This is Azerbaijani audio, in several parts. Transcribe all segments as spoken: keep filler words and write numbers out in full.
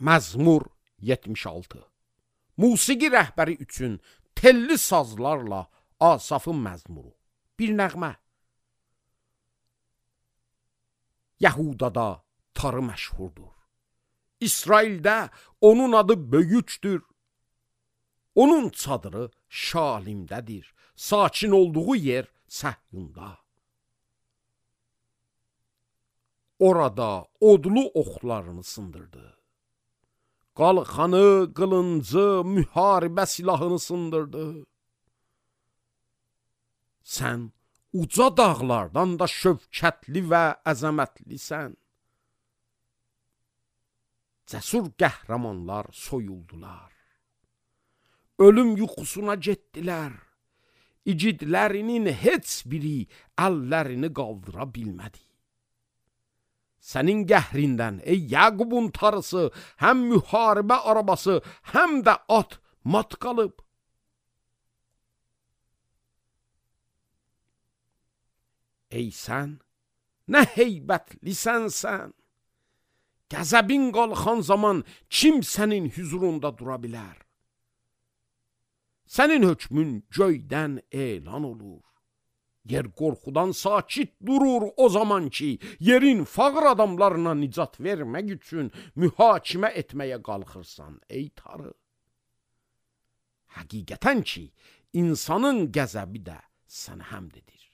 Məzmur yetmiş altı. Musiqi rəhbəri üçün telli sazlarla Asafın məzmuru. Bir nəğmə. Yəhudada tarı məşhurdur. İsraildə onun adı böyükdür. Onun çadırı Şalimdədir. Sakin olduğu yer Səhyunda. Orada odlu oxlarını sındırdı. Qalxanı, qılıncı, müharibə silahını sındırdı. Sən uca dağlardan da şövkətli və əzəmətlisən. Cəsur qəhrəmanlar soyuldular. Ölüm yuxusuna getdilər. İgidlərinin heç biri əllərini qaldıra bilmədi. Sənin qəhrindən, ey Yaqubun tarısı, həm müharibə arabası, həm də at mat qalıb. Ey sən, nə heybətlisən sən. Qəzəbin qalxan zaman kim sənin hüzurunda dura bilər? Sənin hökmün göydən elan olur. Yer qorxudan sakit durur o zaman ki, yerin fağır adamlarına nicat vermək üçün mühakimə etməyə qalxırsan, ey tarı. Həqiqətən ki, insanın qəzəbi də sənə həmdədir.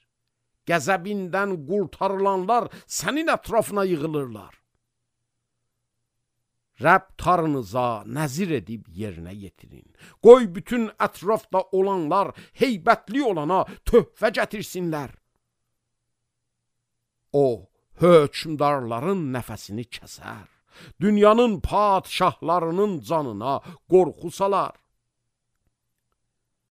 Qəzəbindən qurtarılanlar sənin ətrafına yığılırlar. Rəbb tarınıza nəzir edib yerinə yetirin. Qoy bütün ətrafda olanlar heybətli olana töhfə gətirsinlər. O, hökmdarların nəfəsini kəsər. Dünyanın padşahlarının canına qorxu salar.